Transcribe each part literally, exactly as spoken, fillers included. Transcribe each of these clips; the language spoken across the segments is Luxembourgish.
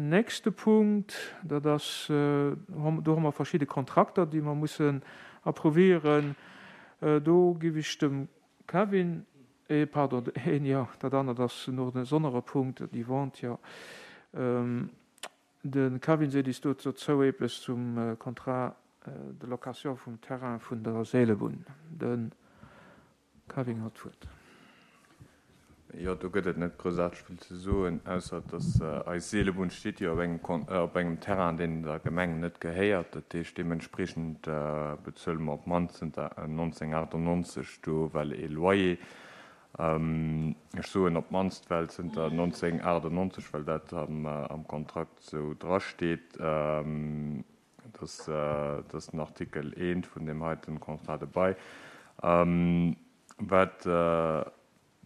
nächste Punkt, dat ass, do hu mer verschidde Kontrakter, déi mer mussen approuvieren. Do giff ech dem Kevin, eh pardon, een, jo, dat anert ass no de sonnere Punkt, déi Vente, jo. De Kevin seet is do dozou eppes zum Contrat de location vum Terrain vun der Seelebunn. De Kevin huet d'Wuert. Jo, do gëtt et net groussaarteg vill ze soen, ausser dass eis Seelebunn steet jo op engem op engem Terrain, deen der Gemeng net gehéiert. Dat heescht, deementspriechend bezuele mer op d'mannst zënter nonzénhunnertachtannonzeg do well ee Loyer. Ech soen op d'mannst, well zënter nonzénhunnertachtannonzeg, well dat am Kontrakt esou drasteet. Dat ass den Artikel eent vun deem heiten Contrat de bail. Wat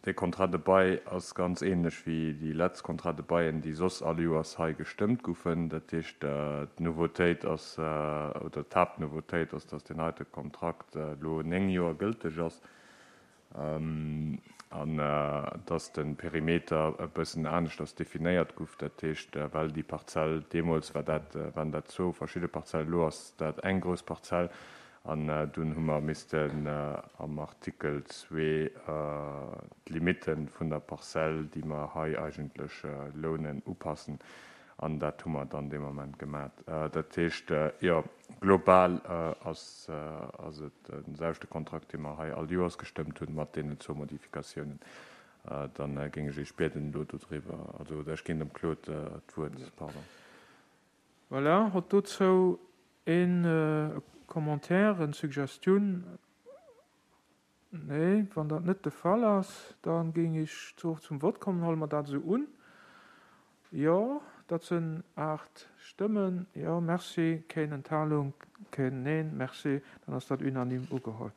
dee Contrat de bail ass ganz ähnlech wéi déi letzt Contrats de bail'en, déi soss all Joers hei gestëmmt goufen. Dat heescht, d'Nouveautéit ass, oder d'Haaptnouveautéit ass, dass deen heite Kontrakt elo néng Joer gëlteg ass an dass de Perimeter e bëssen aneschters definéiert gouf. Dat heescht, well déi Parzell, deemools war dat, waren dat zwou verschidde Parzellen, elo ass dat eng grouss Parzell. An dunn hu mer missten am Artikel zwee d'Limitte vun der Parzell, déi mer hei eigentlech lounen, upassen. An dat hu mer dann dee Moment gemat. Dat heescht, jo, global ass ass et den selwechte Kontrakt, dee mer hei all Joers gestëmmt hunn, mat deenen zwou Modifikatiounen. Dann géing ech Iech bieden, elo dodriwwer, also oder ech ginn dem Claude d'Wuert, pardon. Voilà, hott dozou een Commentaire, eng Suggestioun? Nee, wann dat net de Fall ass, dann géing ech zum Vott kommen. Huele mer dat esou un? Jo, dat sinn aacht Stëmmen. Jo, merci. Keen Enthalung, keen Neen. Merci. Dann ass dat unanime ugeholl.